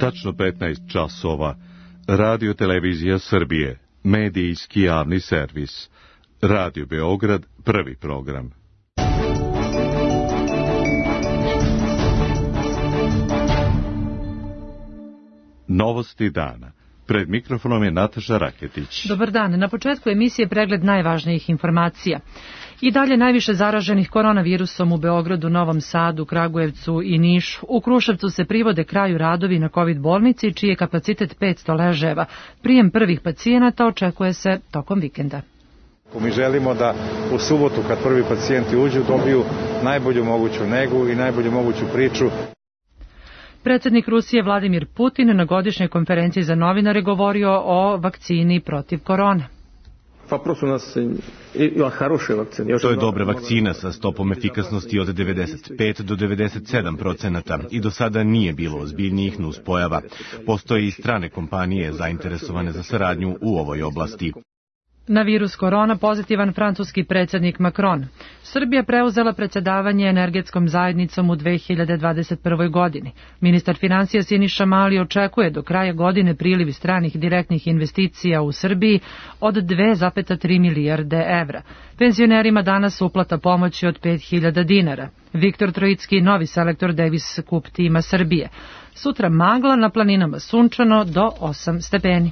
Tačno 15 časova. Radio Televizija Srbije. Medijski javni servis. Radio Beograd, prvi program. Novosti dana. Pred mikrofonom je Nataša Raketić. Dobar dan. Na početku emisije pregled najvažnijih informacija. I dalje najviše zaraženih koronavirusom u Beogradu, Novom Sadu, Kragujevcu i Nišu. U Kruševcu se privode kraju radovi na COVID bolnici, čiji je kapacitet 500 leževa. Prijem prvih pacijenata očekuje se tokom vikenda. Mi želimo da u subotu, kad prvi pacijenti uđu, dobiju najbolju moguću negu i najbolju moguću priču. Predsjednik Rusije Vladimir Putin na godišnjoj konferenciji za novinare govorio o vakcini protiv korone. To je dobra vakcina sa stopom efikasnosti od 95 do 97% i do sada nije bilo ozbiljnijih nuspojava. Postoje i strane kompanije zainteresovane za saradnju u ovoj oblasti. Na virus korona pozitivan francuski predsjednik Macron. Srbija preuzela predsjedavanje energetskom zajednicom u 2021. godini. Ministar financija Siniša Mali očekuje do kraja godine priliv stranih direktnih investicija u Srbiji od 2,3 milijarde evra. Penzionerima danas uplata pomoći od 5.000 dinara. Viktor Trojicki, novi selektor Davis Cup tima Srbije. Sutra magla, na planinama sunčano do 8 stepeni.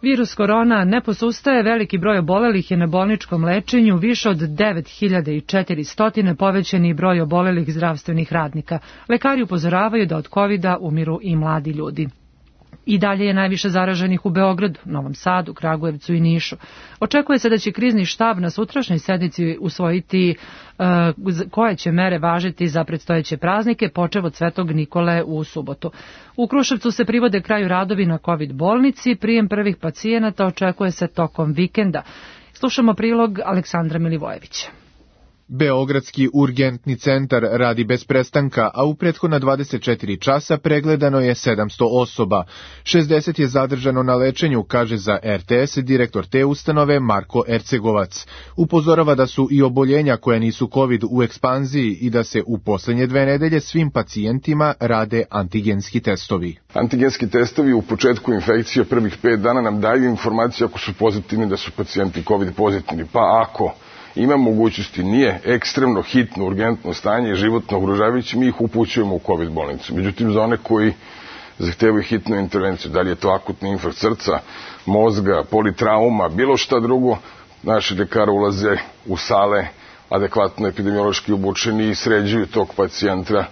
Virus korona ne posustaje, veliki broj obolelih je na bolničkom lečenju, više od 9400 povećani broj obolelih zdravstvenih radnika. Lekari upozoravaju da od covida umiru i mladi ljudi. I dalje je najviše zaraženih u Beogradu, Novom Sadu, Kragujevcu i Nišu. Očekuje se da će krizni štab na sutrašnjoj sednici usvojiti koje će mere važiti za predstojeće praznike, počev od Svetog Nikole u subotu. U Kruševcu se privode kraju radovi na COVID bolnici, prijem prvih pacijenata očekuje se tokom vikenda. Slušamo prilog Aleksandra Milivojevića. Beogradski urgentni centar radi bez prestanka, a u prethodna 24 časa pregledano je 700 osoba. 60 je zadržano na lečenju, kaže za RTS direktor te ustanove Marko Ercegovac. Upozorava da su i oboljenja koja nisu COVID u ekspanziji i da se u posljednje 2 nedelje svim pacijentima rade antigenski testovi. Antigenski testovi u početku infekcije prvih 5 dana nam daju informaciju ako su pozitivni da su pacijenti COVID pozitivni, pa ako ima mogućnosti, nije ekstremno hitno, urgentno stanje i životno ugrožavajuće, mi ih upućujemo u COVID bolnicu. Međutim, za one koji zahtevaju hitnu intervenciju, da li je to akutni infarkt srca, mozga, politrauma, bilo šta drugo, naši lekari ulaze u sale adekvatno epidemiološki obučeni i sređuju tog pacijenta.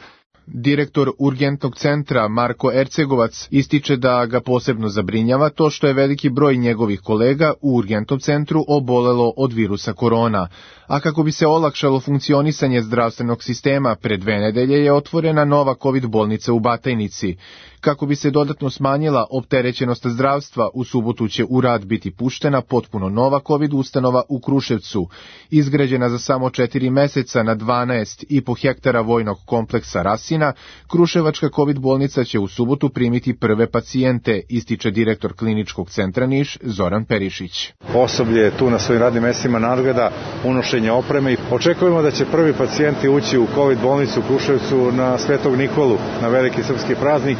Direktor urgentnog centra Marko Ercegovac ističe da ga posebno zabrinjava to što je veliki broj njegovih kolega u urgentnom centru obolelo od virusa korona. A kako bi se olakšalo funkcionisanje zdravstvenog sistema, pre 2 nedelje je otvorena nova COVID bolnica u Batajnici. Kako bi se dodatno smanjila opterećenost zdravstva, u subotu će u rad biti puštena potpuno nova COVID ustanova u Kruševcu. Izgrađena za samo 4 meseca na 12,5 hektara vojnog kompleksa Rasina, Kruševačka COVID bolnica će u subotu primiti prve pacijente, ističe direktor kliničkog centra Niš Zoran Perišić. Osoblje je tu na svojim radnim mestima nadgleda unošenje opreme. Očekujemo da će prvi pacijenti ući u COVID bolnicu u Kruševcu na Svetog Nikolu, na veliki srpski praznik,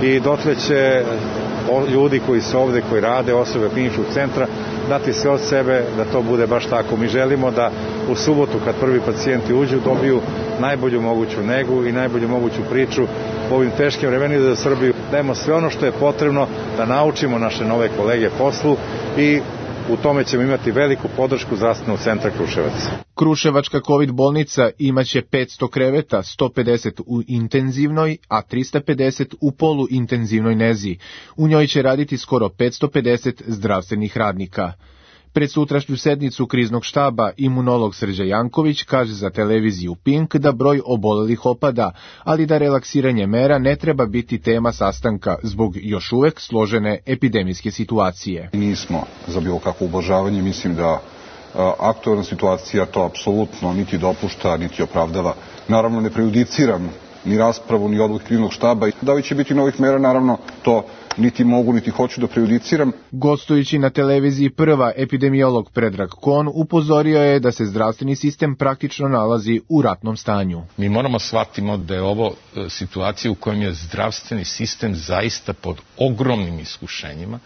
i dotle će ljudi koji su ovde, koji rade, osobe kliničkog centra, dati sve od sebe da to bude baš tako. Mi želimo da u subotu, kad prvi pacijenti uđu, dobiju najbolju moguću negu i najbolju moguću priču u ovim teškim vremenima za Srbiju. Dajemo sve ono što je potrebno da naučimo naše nove kolege poslu i u tome ćemo imati veliku podršku zdravstvenog centra Kruševac. Kruševačka COVID bolnica imaće 500 kreveta, 150 u intenzivnoj, a 350 u poluintenzivnoj nezi. U njoj će raditi skoro 550 zdravstvenih radnika. Pred sutrašnju sednicu kriznog štaba imunolog Srđan Janković kaže za televiziju Pink da broj obolelih opada, ali da relaksiranje mera ne treba biti tema sastanka zbog još uvek složene epidemijske situacije. Nismo za bilo kakvo ublažavanje, mislim da aktualna situacija to apsolutno niti dopušta, niti opravdava. Naravno ne prejudiciram ni raspravu, ni odluku kriznog štaba. Da li će biti novih mera, naravno to niti mogu, niti hoću da prejudiciram. Gostujući na televiziji Prva, epidemiolog Predrag Kon upozorio je da se zdravstveni sistem praktično nalazi u ratnom stanju. Mi moramo shvatimo da je ovo situacija u kojem je zdravstveni sistem zaista pod ogromnim iskušenjima,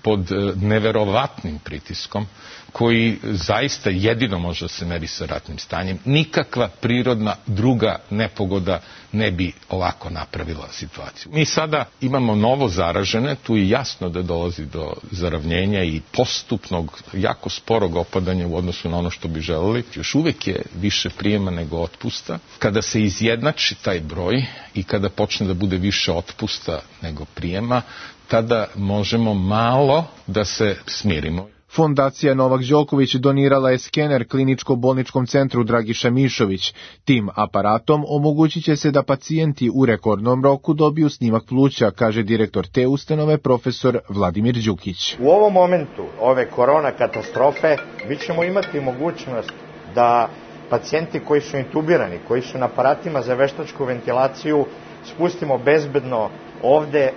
pod neverovatnim pritiskom, koji zaista jedino može da se meri sa ratnim stanjem. Nikakva prirodna druga nepogoda ne bi ovako napravila situaciju. Mi sada imamo novo zaražene, tu je jasno da dolazi do zaravnjenja i postupnog, jako sporog opadanja u odnosu na ono što bi želeli. Još uvek je više prijema nego otpusta. Kada se izjednači taj broj i kada počne da bude više otpusta nego prijema, tada možemo malo da se smirimo. Fondacija Novak Đoković donirala je skener kliničko-bolničkom centru Dragiša Mišović. Tim aparatom omogućit će se da pacijenti u rekordnom roku dobiju snimak pluća, kaže direktor te ustanove profesor Vladimir Đukić. U ovom momentu ove korona katastrofe mi ćemo imati mogućnost da pacijenti koji su intubirani, koji su na aparatima za veštačku ventilaciju, spustimo bezbedno ovde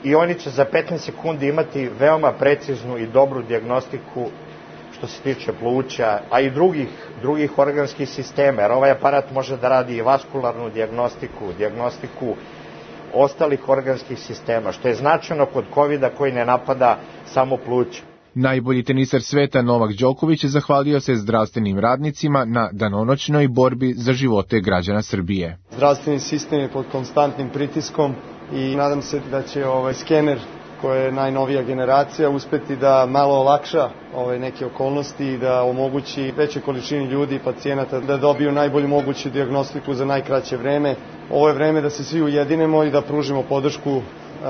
i oni će za 15 sekundi imati veoma preciznu i dobru dijagnostiku što se tiče pluća, a i drugih organskih sistema, jer ovaj aparat može da radi i vaskularnu dijagnostiku ostalih organskih sistema, što je značajno kod COVID-a koji ne napada samo pluća. Najbolji tenisar sveta Novak Đoković zahvalio se zdravstvenim radnicima na danonoćnoj borbi za živote građana Srbije. Zdravstveni sistem je pod konstantnim pritiskom i nadam se da će skener, koja je najnovija generacija, uspeti da malo olakša neke okolnosti i da omogući većoj količini ljudi i pacijenata da dobiju najbolju moguću dijagnostiku za najkraće vreme. Ovo je vreme da se svi ujedinemo i da pružimo podršku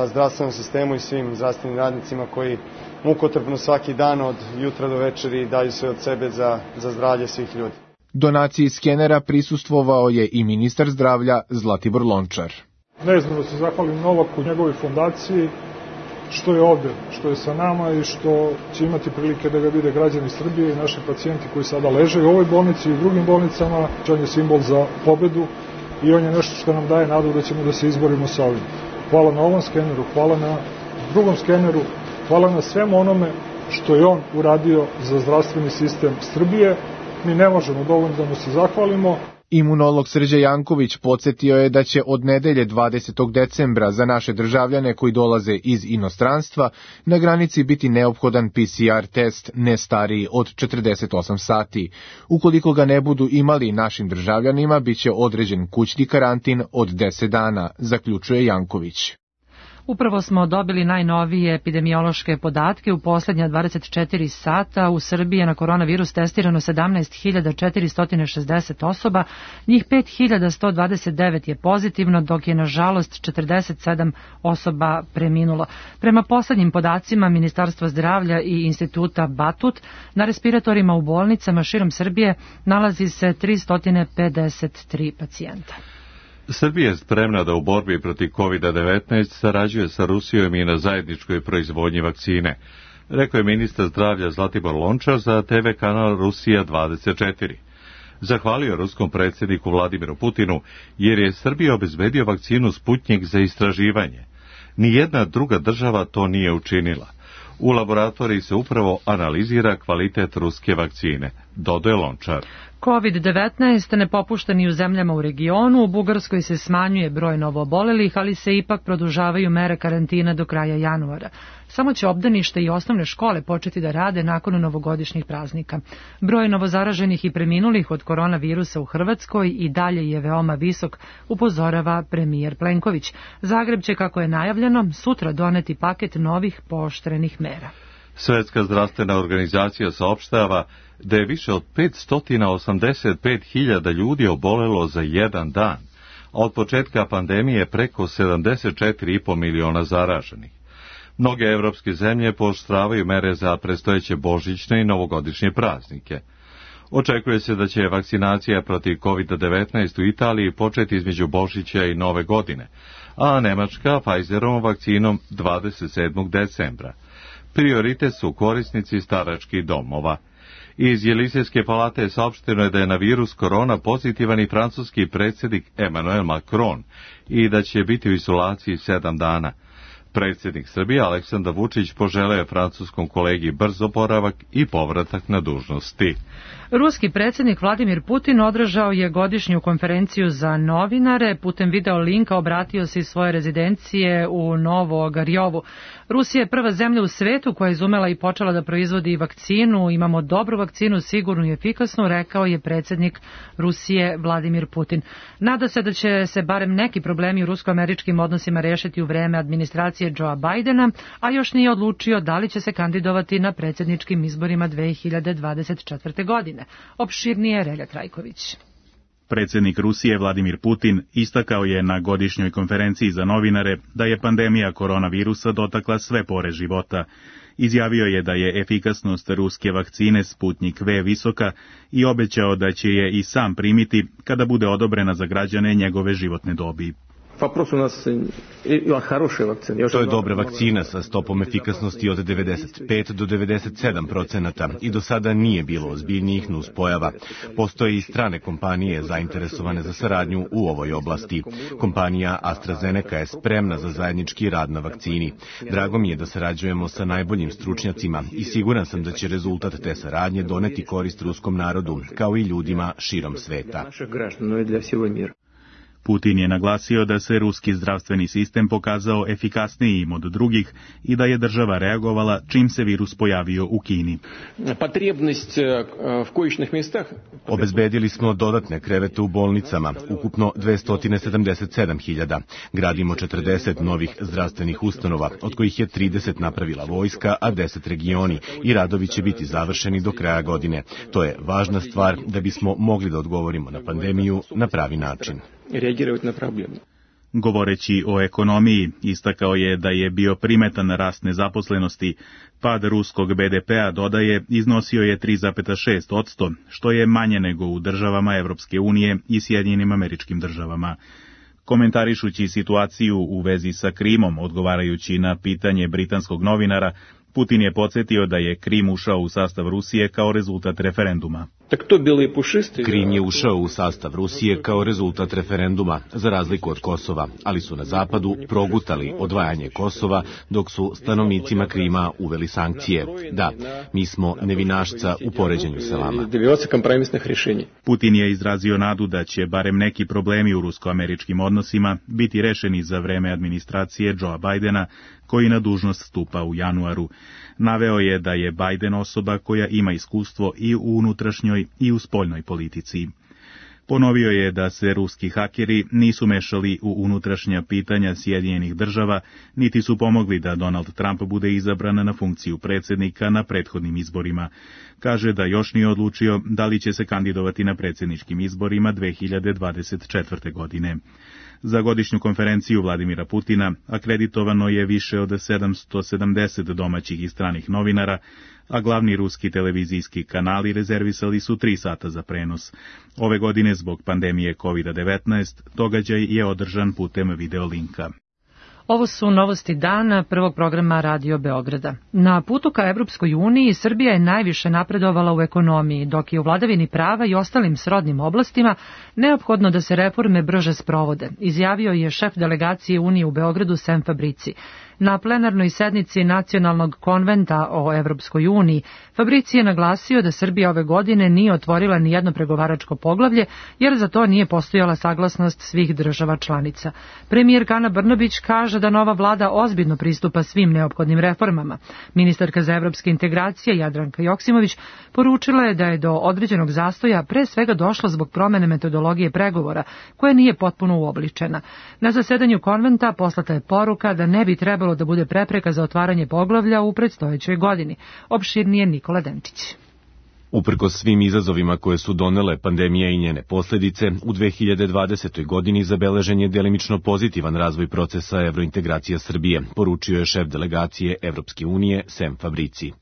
zdravstvenom sistemu i svim zdravstvenim radnicima koji mukotrpno svaki dan od jutra do večeri daju sve od sebe za zdravlje svih ljudi. Donaciji skenera prisustvovao je i ministar zdravlja Zlatibor Lončar. Ne znam da se zahvalim Novaku, njegovoj fondaciji, što je ovde, što je sa nama i što će imati prilike da ga vide građani Srbije i naši pacijenti koji sada leže u ovoj bolnici i u drugim bolnicama. On je simbol za pobedu i on je nešto što nam daje nadu da ćemo da se izborimo sa ovim. Hvala na ovom skeneru, hvala na drugom skeneru, hvala na svemu onome što je on uradio za zdravstveni sistem Srbije. Mi ne možemo dovoljno da mu se zahvalimo. Imunolog Srđan Janković podsjetio je da će od nedelje 20. decembra za naše državljane koji dolaze iz inostranstva na granici biti neophodan PCR test ne stariji od 48 sati. Ukoliko ga ne budu imali, našim državljanima biće određen kućni karantin od 10 dana, zaključuje Janković. Upravo smo dobili najnovije epidemiološke podatke. U poslednja 24 sata u Srbiji je na koronavirus testirano 17.460 osoba, njih 5.129 je pozitivno, dok je nažalost 47 osoba preminulo. Prema poslednjim podacima Ministarstva zdravlja i Instituta Batut, na respiratorima u bolnicama širom Srbije nalazi se 353 pacijenta. Srbija je spremna da u borbi protiv COVID-19 sarađuje sa Rusijom i na zajedničkoj proizvodnji vakcine, rekao je ministar zdravlja Zlatibor Lončar za TV kanal Rusija 24. Zahvalio ruskom predsjedniku Vladimiru Putinu jer je Srbija obezbedio vakcinu Sputnjik za istraživanje. Nijedna druga država to nije učinila. U laboratoriji se upravo analizira kvalitet ruske vakcine, dodaje Lončar. COVID-19 ne popušta ni u zemljama u regionu, u Bugarskoj se smanjuje broj novoobolelih, ali se ipak produžavaju mere karantina do kraja januara. Samo će obdanište i osnovne škole početi da rade nakon novogodišnjih praznika. Broj novozaraženih i preminulih od koronavirusa u Hrvatskoj i dalje je veoma visok, upozorava premijer Plenković. Zagreb će, kako je najavljeno, sutra doneti paket novih pooštrenih mera. Svetska zdravstvena organizacija saopštava da je više od 585.000 ljudi obolelo za jedan dan, a od početka pandemije preko 74,5 miliona zaraženih. Mnoge evropske zemlje pooštravaju mere za predstojeće božićne i novogodišnje praznike. Očekuje se da će vakcinacija protiv COVID-19 u Italiji početi između Božića i Nove godine, a Nemačka Pfizerovom vakcinom 27. decembra. Prioritet su korisnici staračkih domova. Iz Jelisejske palate saopšteno je da je na virus korona pozitivan i francuski predsjednik Emmanuel Macron i da će biti u izolaciji 7 dana. Predsjednik Srbije Aleksandar Vučić poželeo je francuskom kolegi brz oporavak i povratak na dužnosti. Ruski predsjednik Vladimir Putin održao je godišnju konferenciju za novinare. Putem video linka obratio se iz svoje rezidencije u Novogarjovu. Rusija je prva zemlja u svetu koja je izumela i počela da proizvodi vakcinu. Imamo dobru vakcinu, sigurnu i efikasnu, rekao je predsjednik Rusije Vladimir Putin. Nada se da će se barem neki problemi u rusko-američkim odnosima rešiti u vreme administracije Joea Bidena, a još nije odlučio da li će se kandidovati na predsjedničkim izborima 2024. godine. Opširnije Relja Trajković. Predsjednik Rusije Vladimir Putin istakao je na godišnjoj konferenciji za novinare da je pandemija koronavirusa dotakla sve pore života. Izjavio je da je efikasnost ruske vakcine Sputnik V visoka i obećao da će je i sam primiti kada bude odobrena za građane njegove životne dobi. To je dobra vakcina sa stopom efikasnosti od 95 do 97% i do sada nije bilo ozbiljnijih nuspojava. Postoje i strane kompanije zainteresovane za saradnju u ovoj oblasti. Kompanija AstraZeneca je spremna za zajednički rad na vakcini. Drago mi je da sarađujemo sa najboljim stručnjacima i siguran sam da će rezultat te saradnje doneti korist ruskom narodu, kao i ljudima širom sveta. Putin je naglasio da se ruski zdravstveni sistem pokazao efikasnijim od drugih i da je država reagovala čim se virus pojavio u Kini. Obezbedili smo dodatne krevete u bolnicama, ukupno 277.000. Gradimo 40 novih zdravstvenih ustanova, od kojih je 30 napravila vojska, a 10 regioni, i radovi će biti završeni do kraja godine. To je važna stvar da bismo mogli da odgovorimo na pandemiju na pravi način. Na problemu. Govoreći o ekonomiji, istakao je da je bio primetan rast nezaposlenosti. Pad ruskog BDP-a, dodaje, iznosio je 3,6%, što je manje nego u državama Evropske unije i Sjedinjenim Američkim Državama. Komentarišući situaciju u vezi sa Krimom, odgovarajući na pitanje britanskog novinara, Putin je podsjetio da je Krim ušao u sastav Rusije kao rezultat referenduma. Krim je ušao u sastav Rusije kao rezultat referenduma, za razliku od Kosova, ali su na zapadu progutali odvajanje Kosova, dok su stanovnicima Krima uveli sankcije. Da, mi smo nevinašca u poređenju sa vama. Putin je izrazio nadu da će barem neki problemi u rusko-američkim odnosima biti rešeni za vreme administracije Joea Bidena, koji na dužnost stupa u januaru. Naveo je da je Biden osoba koja ima iskustvo i u unutrašnjoj i u spoljnoj politici. Ponovio je da se ruski hakeri nisu mešali u unutrašnja pitanja Sjedinjenih Država, niti su pomogli da Donald Trump bude izabran na funkciju predsjednika na prethodnim izborima. Kaže da još nije odlučio da li će se kandidovati na predsjedničkim izborima 2024. godine. Za godišnju konferenciju Vladimira Putina akreditovano je više od 770 domaćih i stranih novinara, a glavni ruski televizijski kanali rezervisali su 3 sata za prenos. Ove godine zbog pandemije COVID-19 događaj je održan putem videolinka. Ovo su novosti dana prvog programa Radio Beograda. Na putu ka Evropskoj uniji Srbija je najviše napredovala u ekonomiji, dok je u vladavini prava i ostalim srodnim oblastima neophodno da se reforme brže sprovode, izjavio je šef delegacije Unije u Beogradu Sem Fabrici. Na plenarnoj sednici Nacionalnog konventa o Evropskoj uniji, Fabrici je naglasio da Srbija ove godine nije otvorila ni jedno pregovaračko poglavlje, jer za to nije postojala saglasnost svih država članica. Premijerka Ana Brnabić kaže da nova vlada ozbiljno pristupa svim neophodnim reformama. Ministarka za evropske integracije Jadranka Joksimović poručila je da je do određenog zastoja pre svega došlo zbog promene metodologije pregovora, koja nije potpuno uobličena. Na zasedanju konventa poslata je poruka da ne bi trebalo da bude prepreka za otvaranje poglavlja u predstojećoj godini. Opširnije Nikola Denčić. Uprkos svim izazovima koje su donele pandemija i njene posljedice, u 2020. godini zabeležen je delimično pozitivan razvoj procesa evrointegracija Srbije, poručio je šef delegacije Evropske unije Sem Fabrici.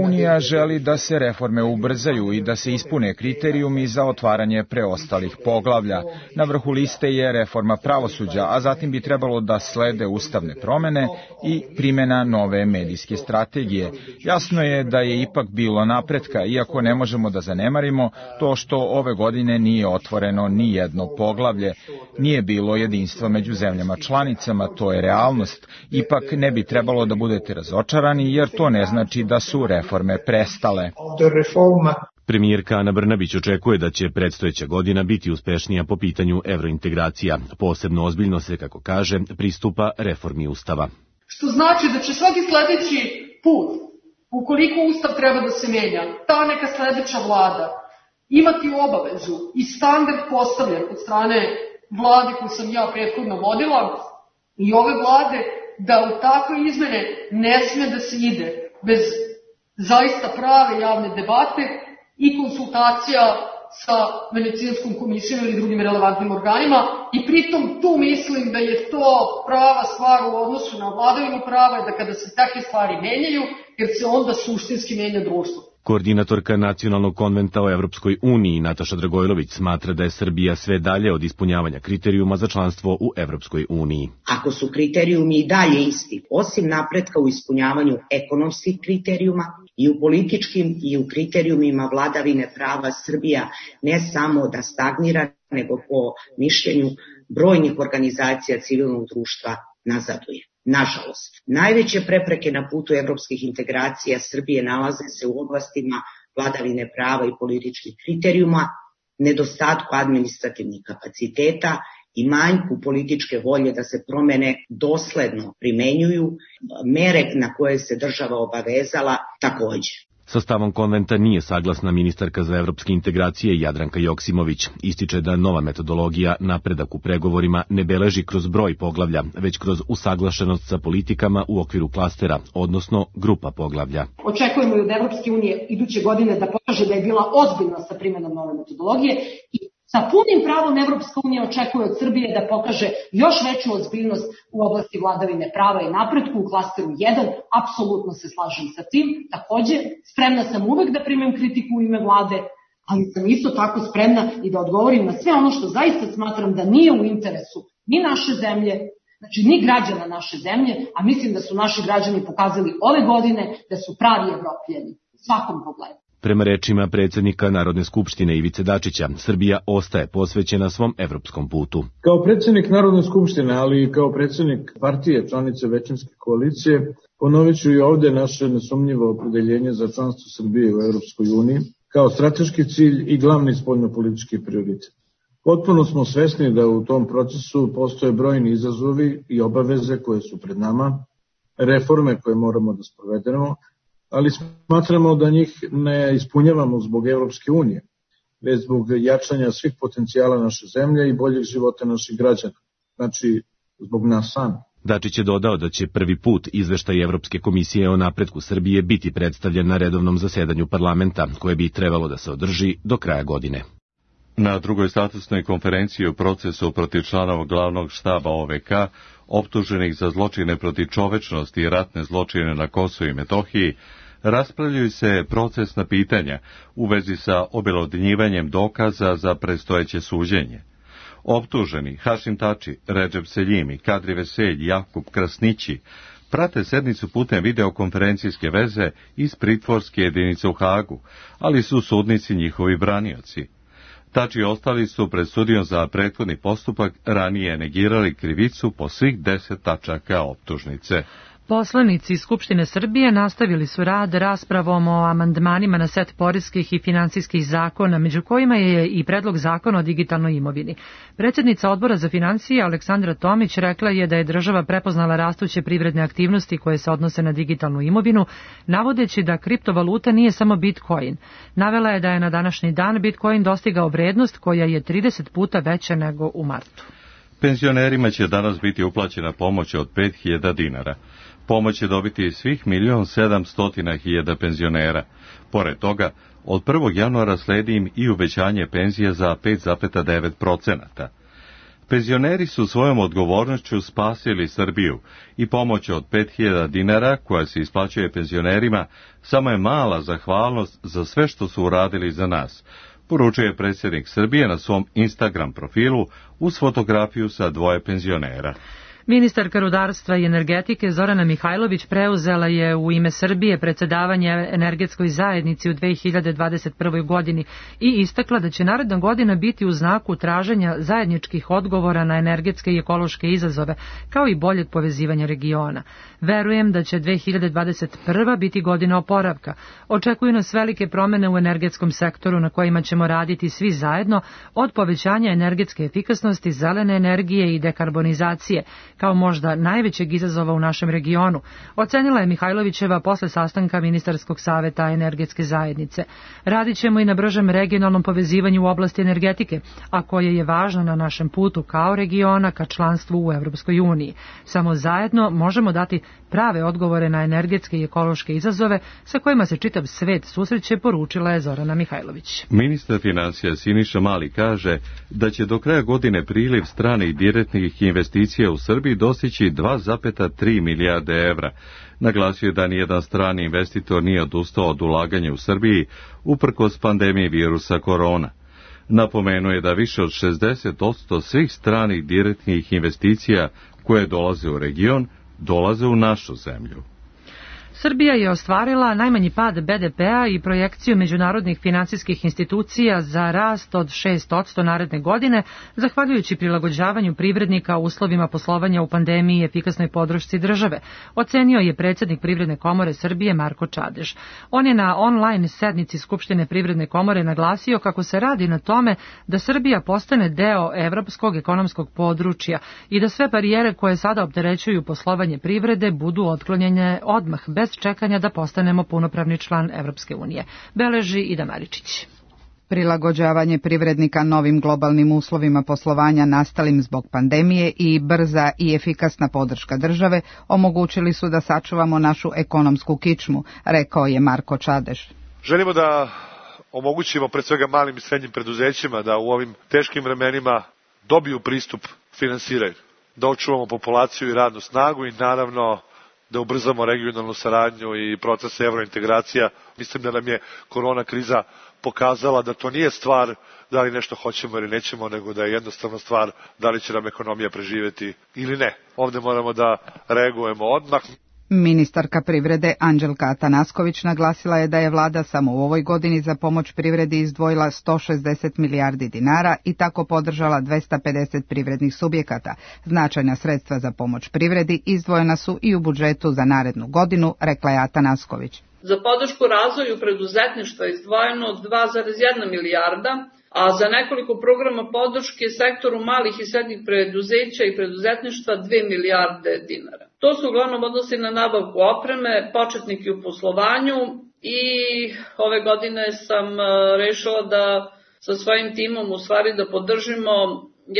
Unija želi da se reforme ubrzaju i da se ispune kriterijumi za otvaranje preostalih poglavlja. Na vrhu liste je reforma pravosuđa, a zatim bi trebalo da slede ustavne promene i primjena nove medijske strategije. Jasno je da je ipak bilo napretka, iako ne možemo da zanemarimo to što ove godine nije otvoreno ni jedno poglavlje. Nije bilo jedinstva među zemljama članicama, to je realnost. Ipak ne bi trebalo da budete razočarani, jer to ne znači da su reforme prestale. Premijerka Ana Brnabić očekuje da će predstojeća godina biti uspešnija po pitanju evrointegracija. Posebno ozbiljno se, kako kaže, pristupa reformi Ustava. Što znači da će svaki sledeći put, ukoliko Ustav treba da se menja, ta neka sledeća vlada imati obavezu i standard postavljen od strane vlade koju sam ja prethodno vodila i ove vlade, da u takve izmene ne sme da se ide bez zaista prave javne debate i konsultacija sa Venecijanskom komisijom ili drugim relevantnim organima i pritom tu mislim da je to prava stvar u odnosu na vladavinu prava i da kada se takve stvari menjaju, jer se onda suštinski menja društvo. Koordinatorka Nacionalnog konventa o Evropskoj uniji Nataša Dragojlović smatra da je Srbija sve dalje od ispunjavanja kriterijuma za članstvo u Evropskoj uniji. Ako su kriterijumi i dalje isti, osim napretka u ispunjavanju ekonomskih kriterijuma i u političkim i u kriterijumima vladavine prava, Srbija ne samo da stagnira, nego po mišljenju brojnih organizacija civilnog društva nazaduje. Nažalost, najveće prepreke na putu evropskih integracija Srbije nalaze se u oblastima vladavine prava i političkih kriterijuma, nedostatku administrativnih kapaciteta i manjku političke volje da se promene dosledno primenjuju, mere na koje se država obavezala takođe. Sa stavom konventa nije saglasna ministarka za evropske integracije Jadranka Joksimović. Ističe da nova metodologija napredak u pregovorima ne beleži kroz broj poglavlja, već kroz usaglašenost sa politikama u okviru klastera, odnosno grupa poglavlja. Očekujemo i od Evropske unije iduće godine da pokaže da je bila ozbiljna sa primjenom nove metodologije i sa punim pravom Evropska unija očekuje od Srbije da pokaže još veću ozbiljnost u oblasti vladavine prava i napretku u klasteru 1. Apsolutno se slažem sa tim. Takođe, spremna sam uvek da primem kritiku u ime vlade, ali sam isto tako spremna i da odgovorim na sve ono što zaista smatram da nije u interesu ni naše zemlje, znači ni građana naše zemlje, a mislim da su naši građani pokazali ove godine da su pravi Evropljani u svakom pogledu. Prema rečima predsjednika Narodne skupštine Ivice Dačića, Srbija ostaje posvećena svom evropskom putu. Kao predsjednik Narodne skupštine, ali i kao predsjednik partije članice većinske koalicije, ponovit ću i ovde naše nesumnjivo opredeljenje za članstvo Srbije u Evropskoj uniji kao strateški cilj i glavni spoljnopolitički prioritet. Potpuno smo svesni da u tom procesu postoje brojni izazovi i obaveze koje su pred nama, reforme koje moramo da sprovedemo, ali smatramo da njih ne ispunjavamo zbog Evropske unije, već zbog jačanja svih potencijala naše zemlje i boljeg života naših građana, znači zbog nas sami. Dačić je dodao da će prvi put izveštaj Evropske komisije o napretku Srbije biti predstavljen na redovnom zasedanju parlamenta, koje bi trebalo da se održi do kraja godine. Na drugoj statusnoj konferenciji o procesu protiv članova glavnog štaba OVK, optuženih za zločine protiv čovečnosti i ratne zločine na Kosovu i Metohiji, raspravljaju se procesna pitanja u vezi sa objelodnjivanjem dokaza za predstojeće suđenje. Optuženi Hašim Tači, Redžep Seljimi, Kadri Veselj, Jakub Krasnići prate sednicu putem videokonferencijske veze iz pritvorske jedinice u Hagu, ali su sudnici njihovi branioci. Tači i ostali su pred sudijom za prethodni postupak ranije negirali krivicu po svih 10 tačaka optužnice. Poslanici Skupštine Srbije nastavili su rad raspravom o amandmanima na set poreskih i finansijskih zakona, među kojima je i predlog zakona o digitalnoj imovini. Predsjednica Odbora za financije Aleksandra Tomić rekla je da je država prepoznala rastuće privredne aktivnosti koje se odnose na digitalnu imovinu, navodeći da kriptovaluta nije samo Bitcoin. Navela je da je na današnji dan Bitcoin dostigao vrednost koja je 30 puta veća nego u martu. Penzionerima će danas biti uplaćena pomoć od 5.000 dinara. Pomoć će dobiti svih 1.700.000 penzionera. Pored toga, od 1. januara sledi im i uvećanje penzije za 5,9%. Penzioneri su svojom odgovornošću spasili Srbiju i pomoć od 5.000 dinara koja se isplaćuje penzionerima samo je mala zahvalnost za sve što su uradili za nas, poručuje predsjednik Srbije na svom Instagram profilu uz fotografiju sa 2 penzionera. Ministarka rudarstva i energetike Zorana Mihajlović preuzela je u ime Srbije predsedavanje energetskoj zajednici u 2021. godini i istakla da će naredna godina biti u znaku traženja zajedničkih odgovora na energetske i ekološke izazove, kao i boljeg povezivanja regiona. Verujem da će 2021. biti godina oporavka. Očekuju nas velike promene u energetskom sektoru na kojima ćemo raditi svi zajedno, od povećanja energetske efikasnosti, zelene energije i dekarbonizacije, kao možda najvećeg izazova u našem regionu, ocenila je Mihajlovićeva posle sastanka Ministarskog saveta energetske zajednice. Radit ćemo i na bržem regionalnom povezivanju u oblasti energetike, a koje je važno na našem putu kao regiona ka članstvu u Evropskoj uniji. Samo zajedno možemo dati prave odgovore na energetske i ekološke izazove sa kojima se čitav svet susreće, poručila je Zorana Mihajlović. Ministar finansija Siniša Mali kaže da će do kraja godine priliv stranih direktnih investicija u Srbiji dostići 2,3 milijarde evra. Naglasio je da nijedan strani investitor nije odustao od ulaganja u Srbiji uprkos pandemiji virusa korona. Napomenuo je da više od 60% svih stranih direktnih investicija koje dolaze u region dolaze u našu zemlju. Srbija je ostvarila najmanji pad BDP-a i projekciju međunarodnih finansijskih institucija za rast od 6% naredne godine, zahvaljujući prilagođavanju privrednika uslovima poslovanja u pandemiji i efikasnoj podršci države, ocenio je predsjednik Privredne komore Srbije Marko Čadež. On je na online sednici Skupštine Privredne komore naglasio kako se radi na tome da Srbija postane deo evropskog ekonomskog područja i da sve barijere koje sada opterećuju poslovanje privrede budu otklonjene odmah, bez čekanja da postanemo punopravni član Evropske unije, beleži Ida Maričić. Prilagođavanje privrednika novim globalnim uslovima poslovanja nastalim zbog pandemije i brza i efikasna podrška države omogućili su da sačuvamo našu ekonomsku kičmu, rekao je Marko Čadež. Želimo da omogućimo pred svega malim i srednjim preduzećima da u ovim teškim vremenima dobiju pristup finansiranju, da očuvamo populaciju i radnu snagu i naravno da ubrzamo regionalnu saradnju i proces evrointegracija. Mislim da nam je korona kriza pokazala da to nije stvar da li nešto hoćemo ili nećemo, nego da je jednostavno stvar da li će nam ekonomija preživjeti ili ne. Ovde moramo da reagujemo odmah. Ministarka privrede Anđelka Atanasković naglasila je da je vlada samo u ovoj godini za pomoć privredi izdvojila 160 milijardi dinara i tako podržala 250 privrednih subjekata. Značajna sredstva za pomoć privredi izdvojena su i u budžetu za narednu godinu, rekla je Atanasković. Za podršku razvoju preduzetništva izdvojeno 2,1 milijarda, a za nekoliko programa podrške sektoru malih i srednjih preduzeća i preduzetništva 2 milijarde dinara. To se uglavnom odnosi na nabavku opreme, početnike u poslovanju i ove godine sam rešila da sa svojim timom u stvari da podržimo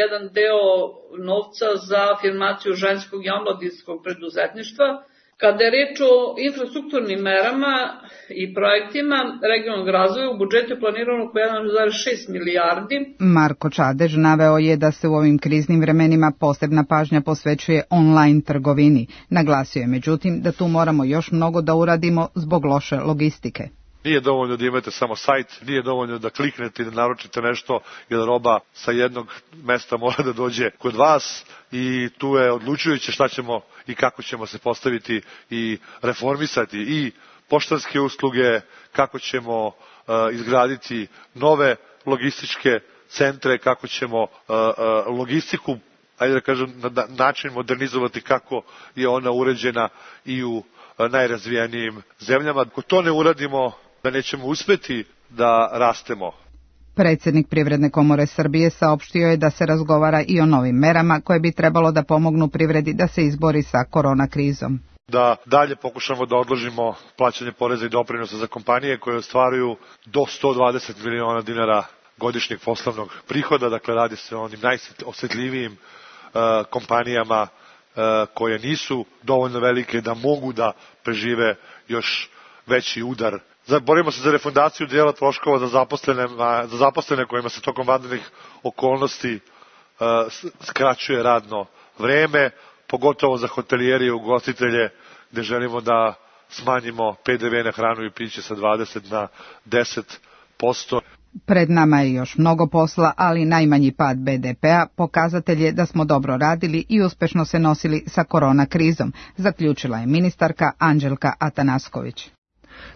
jedan deo novca za afirmaciju ženskog i omladinskog preduzetništva. Kada je reč o infrastrukturnim merama i projektima regionalnog razvoja, u budžetu je planirano oko 1,6 milijardi. Marko Čadež naveo je da se u ovim kriznim vremenima posebna pažnja posvećuje online trgovini. Naglasio je međutim da tu moramo još mnogo da uradimo zbog loše logistike. Nije dovoljno da imate samo sajt, nije dovoljno da kliknete i da naručite nešto, jer roba sa jednog mesta mora da dođe kod vas i tu je odlučujuće šta ćemo i kako ćemo se postaviti i reformisati i poštanske usluge, kako ćemo izgraditi nove logističke centre, kako ćemo logistiku, ajde da kažem, na način modernizovati kako je ona uređena i u najrazvijenijim zemljama. Ako to ne uradimo, da nećemo uspeti da rastemo. Predsjednik Privredne komore Srbije saopštio je da se razgovara i o novim merama koje bi trebalo da pomognu privredi da se izbori sa korona krizom. Da dalje pokušamo da odložimo plaćanje poreza i doprinosa za kompanije koje ostvaruju do 120 miliona dinara godišnjeg poslovnog prihoda, dakle radi se o onim najosetljivijim kompanijama koje nisu dovoljno velike da mogu da prežive još veći udar. Borimo se za refundaciju dijela troškova za zaposlene kojima se tokom vanrednih okolnosti skraćuje radno vreme, pogotovo za hotelijere i ugostitelje, gde želimo da smanjimo PDV na hranu i piće sa 20 na 10%. Pred nama je još mnogo posla, ali najmanji pad BDP-a pokazatelj je da smo dobro radili i uspešno se nosili sa korona krizom, zaključila je ministarka Anđelka Atanasković.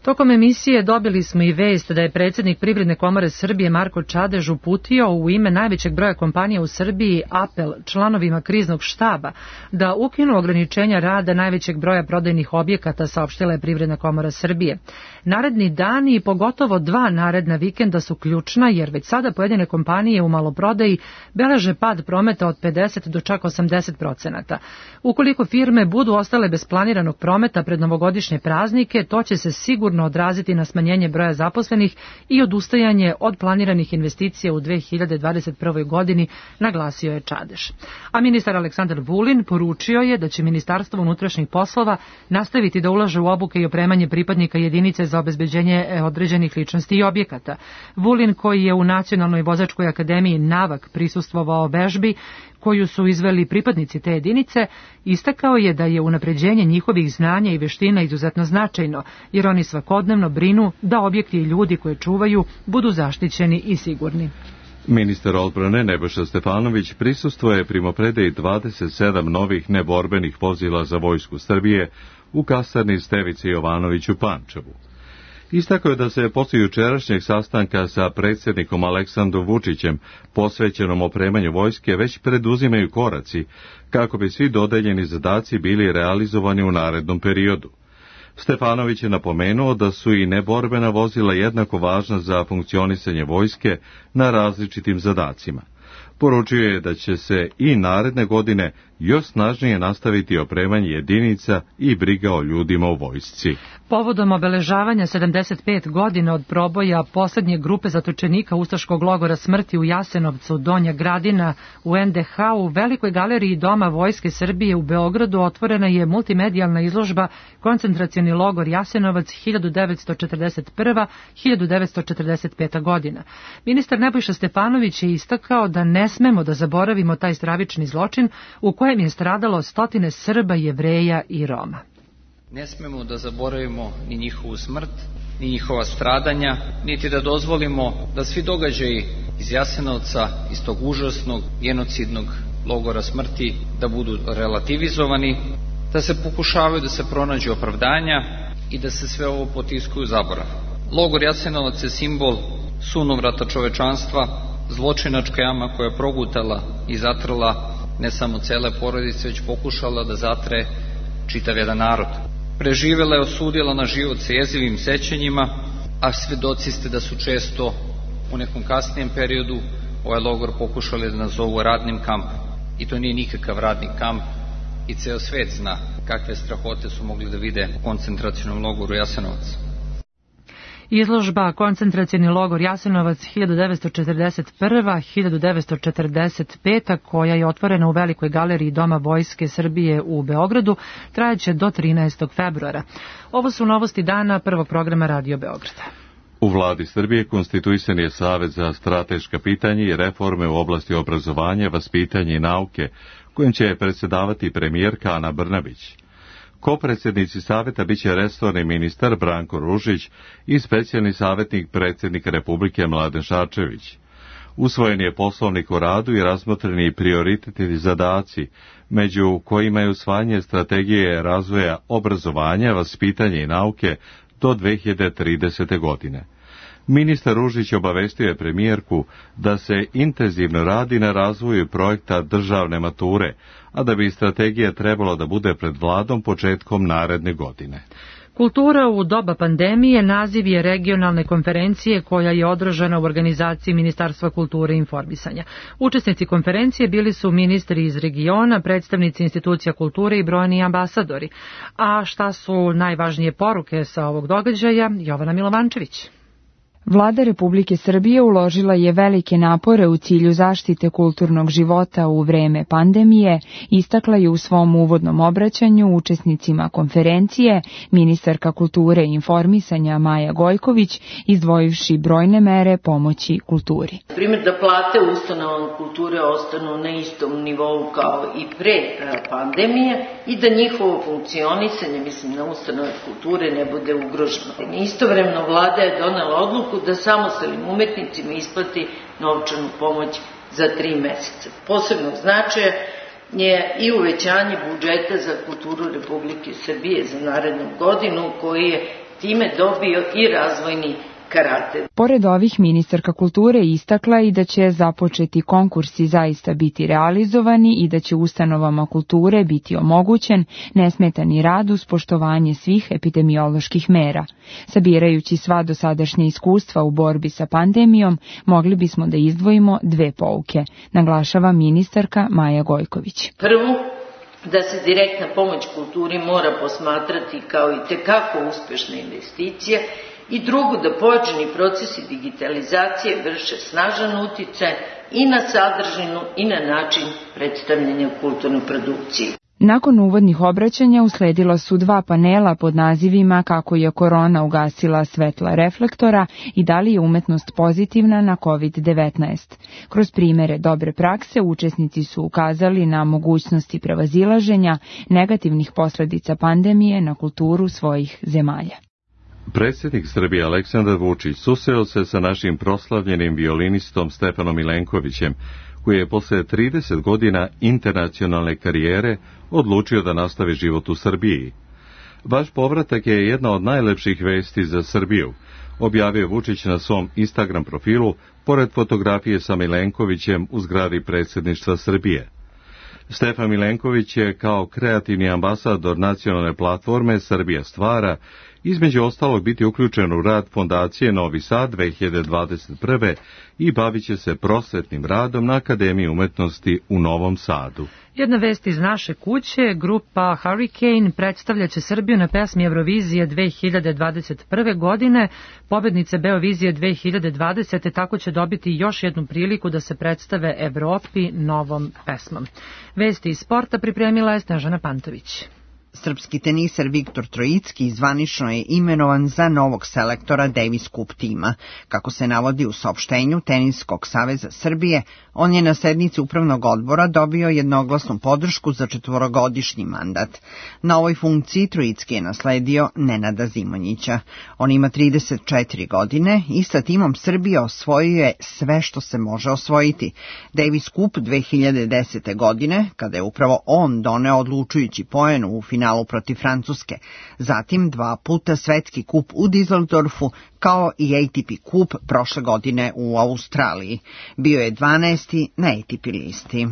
Tokom emisije dobili smo i vest da je predsjednik Privredne komore Srbije Marko Čadež uputio u ime najvećeg broja kompanija u Srbiji apel članovima kriznog štaba da ukinu ograničenja rada najvećeg broja prodajnih objekata, saopštila je Privredna komora Srbije. Naredni dani i pogotovo 2 naredna vikenda su ključna jer već sada pojedine kompanije u maloprodaji beleže pad prometa od 50 do čak 80%. Ukoliko firme budu ostale bez planiranog prometa pred novogodišnje praznike, to će se sigurno odraziti na smanjenje broja zaposlenih i odustajanje od planiranih investicija u 2021. godini, naglasio je Čadež. A ministar Aleksandar Vulin poručio je da će Ministarstvo unutrašnjih poslova nastaviti da ulaže u obuke i opremanje pripadnika jedinice za obezbeđenje određenih ličnosti i objekata. Vulin, koji je u Nacionalnoj vozačkoj akademiji Navak prisustvovao vežbi koju su izveli pripadnici te jedinice, istakao je da je unapređenje njihovih znanja i veština izuzetno značajno, jer oni svakodnevno brinu da objekti i ljudi koje čuvaju budu zaštićeni i sigurni. Ministar odbrane Nebojša Stefanović prisustvuje primopredaji 27 novih neborbenih vozila za Vojsku Srbije u kasarni Stevice Jovanović u Pančevu. Istakao je da se posle jučerašnjeg sastanka sa predsjednikom Aleksandrom Vučićem posvećenom opremanju vojske već preduzimaju koraci kako bi svi dodeljeni zadaci bili realizovani u narednom periodu. Stefanović je napomenuo da su i neborbena vozila jednako važna za funkcionisanje vojske na različitim zadacima. Poručio je da će se i naredne godine još snažnije nastaviti opremanje jedinica i briga o ljudima u vojsci. Povodom obeležavanja 75 godina od proboja poslednje grupe zatočenika ustaškog logora smrti u Jasenovcu, Donja Gradina u NDH, u Velikoj galeriji Doma Vojske Srbije u Beogradu otvorena je multimedijalna izložba Koncentracioni logor Jasenovac 1941-1945 godina. Ministar Nebojša Stefanović je istakao da ne smemo da zaboravimo taj stravični zločin u kojem je stradalo stotine Srba, Jevreja i Roma. Ne smemo da zaboravimo ni njihovu smrt, ni njihova stradanja, niti da dozvolimo da svi događaji iz Jasenovca, iz tog užasnog, genocidnog logora smrti, da budu relativizovani, da se pokušavaju da se pronađe opravdanja i da se sve ovo potiskuju u zaborav. Logor Jasenovac je simbol sunovrata čovečanstva, zločinačka jama koja je progutala i zatrla ne samo cele porodice, već pokušala da zatre čitav jedan narod. Preživela je, osudila na život sa jezivim sećanjima, a svedoci ste da su često u nekom kasnijem periodu ovaj logor pokušali da nazovu radnim kampom. I to nije nikakav radni kamp i ceo svet zna kakve strahote su mogli da vide u koncentracionom logoru Jasenovac. Izložba Koncentracioni logor Jasenovac 1941-1945, koja je otvorena u Velikoj galeriji Doma Vojske Srbije u Beogradu, trajaće do 13. februara. Ovo su novosti dana prvog programa Radio Beograda. U vladi Srbije konstituisan je Savet za strateška pitanja i reforme u oblasti obrazovanja, vaspitanja i nauke, kojim će predsjedavati premijerka Ana Brnabić. Kopredsjednici saveta biće resorni ministar Branko Ružić i specijalni savjetnik predsjednika Republike Mladen Šarčević. Usvojen je poslovnik o radu i razmotreni prioritetni zadaci, među kojima je usvajanje strategije razvoja obrazovanja, vaspitanja i nauke do 2030. godine. Ministar Ružić obavestio je premijerku da se intenzivno radi na razvoju projekta državne mature, a da bi strategija trebala da bude pred vladom početkom naredne godine. Kultura u doba pandemije naziv je regionalne konferencije koja je održana u organizaciji Ministarstva kulture i informisanja. Učesnici konferencije bili su ministri iz regiona, predstavnici institucija kulture i brojni ambasadori. A šta su najvažnije poruke sa ovog događaja? Jovana Milovančević. Vlada Republike Srbije uložila je velike napore u cilju zaštite kulturnog života u vreme pandemije, istakla je u svom uvodnom obraćanju učesnicima konferencije ministarka kulture i informisanja Maja Gojković, izdvojivši brojne mere pomoći kulturi. Primjer da plate u ustanovama kulture ostanu na istom nivou kao i pre pandemije i da njihovo funkcionisanje, mislim na ustanove kulture, ne bude ugroženo. Istovremeno vlada je donela odluku da samostalnim umetnicima isplati novčanu pomoć za 3 meseca. Posebnog značaja je i uvećanje budžeta za kulturu Republike Srbije za narednu godinu, koji je time dobio i razvojni karakter. Pored ovih, ministarka kulture istakla i da će započeti konkursi zaista biti realizovani i da će ustanovama kulture biti omogućen nesmetani rad uz poštovanje svih epidemioloških mera. Sabirajući sva dosadašnja iskustva u borbi sa pandemijom, mogli bismo da izdvojimo 2 pouke, naglašava ministarka Maja Gojković. Prvo, da se direktna pomoć kulturi mora posmatrati kao i tekako uspešna investicija, i drugo, da pojačani procesi digitalizacije vrše snažan uticaj i na sadržinu i na način predstavljanja kulturne produkcije. Nakon uvodnih obraćanja usledila su 2 panela pod nazivima Kako je korona ugasila svetla reflektora i da li je umetnost pozitivna na COVID-19. Kroz primere dobre prakse učesnici su ukazali na mogućnosti prevazilaženja negativnih posledica pandemije na kulturu svojih zemalja. Predsjednik Srbije Aleksandar Vučić susreo se sa našim proslavljenim violinistom Stefanom Milenkovićem, koji je posle 30 godina internacionalne karijere odlučio da nastavi život u Srbiji. Vaš povratak je jedna od najlepših vesti za Srbiju, objavio Vučić na svom Instagram profilu, pored fotografije sa Milenkovićem u zgradi predsjedništva Srbije. Stefan Milenković je kao kreativni ambasador nacionalne platforme Srbija stvara, između ostalog biti uključen u rad Fondacije Novi Sad 2021. i bavit će se prosvetnim radom na Akademiji umetnosti u Novom Sadu. Jedna vest iz naše kuće, grupa Hurricane predstavljaće Srbiju na pesmi Eurovizije 2021. godine. Pobednice Beovizije 2020. tako će dobiti još jednu priliku da se predstave Evropi novom pesmom. Vesti iz sporta pripremila je Snežana Pantović. Srpski teniser Viktor Trojicki zvanično je imenovan za novog selektora Davis Cup tima. Kako se navodi u saopštenju Teniskog saveza Srbije, on je na sednici upravnog odbora dobio jednoglasnu podršku za 4-godišnji mandat. Na ovoj funkciji Trojicki je nasledio Nenada Zimonjića. On ima 34 godine i sa timom Srbije osvojio je sve što se može osvojiti. Davis Cup 2010. godine, kada je upravo on doneo odlučujući poen u finalu protiv Francuske, zatim 2 puta svetski kup u Düsseldorfu, kao i ATP kup prošle godine u Australiji. Bio je 12. na ATP listi.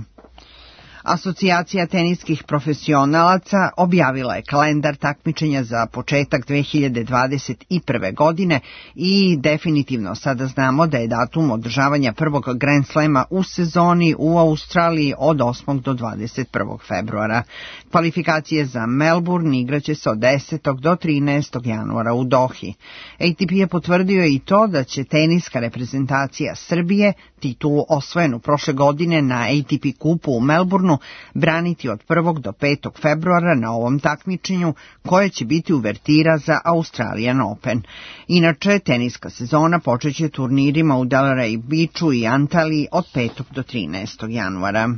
Asocijacija teniskih profesionalaca objavila je kalendar takmičenja za početak 2021. godine i definitivno sada znamo da je datum održavanja prvog Grand Slema u sezoni u Australiji od 8. do 21. februara. Kvalifikacije za Melbourne igraće se od 10. do 13. januara u Dohi. ATP je potvrdio i to da će teniska reprezentacija Srbije titulu osvojenu prošle godine na ATP kupu u Melbourneu braniti od 1. do 5. februara na ovom takmičenju, koje će biti uvertira za Australian Open. Inače, teniska sezona počeće turnirima u Delray Beachu i Antaliji od 5. do 13. januara.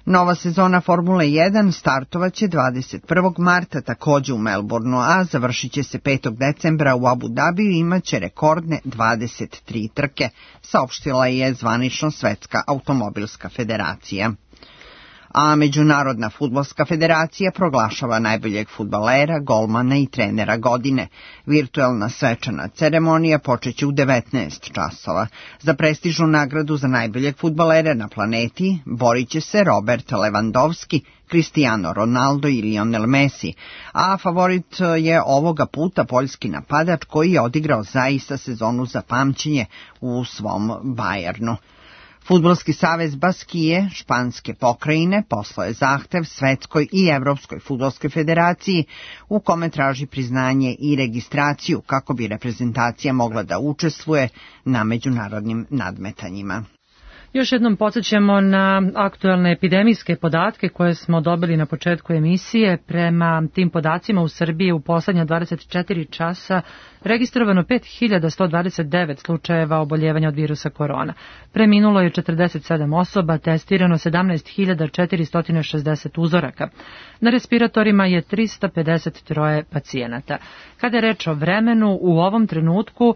Nova sezona Formule 1 startovaće 21. marta takođe u Melbourneu, a završit će se 5. decembra u Abu Dhabiju i imaće rekordne 23 trke, saopštila je zvanično Svetska automobilska federacija. A Međunarodna fudbalska federacija proglašava najboljeg fudbalera, golmana i trenera godine. Virtuelna svečana ceremonija počeće u 19 časova. Za prestižnu nagradu za najboljeg fudbalera na planeti borit će se Robert Lewandowski, Cristiano Ronaldo i Lionel Messi, a favorit je ovoga puta poljski napadač koji je odigrao zaista sezonu za pamćenje u svom Bayernu. Fudbalski savez Baskije, španske pokrajine, poslao je zahtev Svetskoj i Evropskoj fudbalskoj federaciji u kome traži priznanje i registraciju kako bi reprezentacija mogla da učestvuje na međunarodnim nadmetanjima. Još jednom podsjećamo na aktuelne epidemijske podatke koje smo dobili na početku emisije. Prema tim podacima u Srbiji u poslednja 24 časa registrovano 5129 slučajeva oboljevanja od virusa korona. Preminulo je 47 osoba, testirano 17.460 uzoraka. Na respiratorima je 353 pacijenata. Kada je reč o vremenu, u ovom trenutku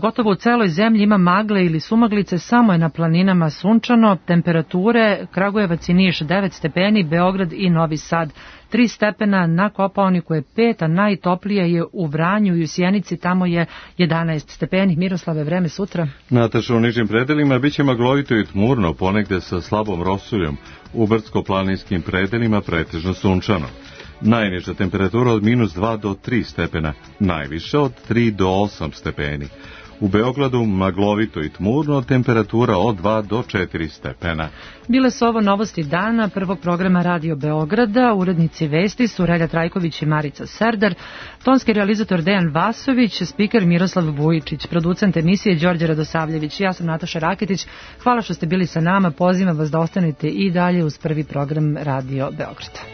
gotovo u celoj zemlji ima magle ili sumaglice, samo je na planinama sunčano. Temperature Kragujevac i Niš 9 stepeni, Beograd i Novi Sad 3 stepena, na Kopaoniku je 5, a najtoplije je u Vranju i u Sjenici, tamo je 11 stepeni. Miroslave, vreme sutra? Nataša, u nižim predelima biće maglovito i tmurno, ponegde sa slabom rosuljom. U brdsko-planinskim predelima pretežno sunčano. Najniža temperatura od -2 do 3 stepena, najviša od 3 do 8 stepeni. U Beogradu maglovito i tmurno, temperatura od 2 do 4 stepena. Bile su ovo novosti dana prvog programa Radio Beograda. Urednici vesti su Relja Trajković i Marica Serdar, tonski realizator Dejan Vasović, spiker Miroslav Vujičić, producent emisije Đorđe Radosavljević. Ja sam Nataša Raketić. Hvala što ste bili sa nama. Pozivam vas da ostanete i dalje uz prvi program Radio Beograda.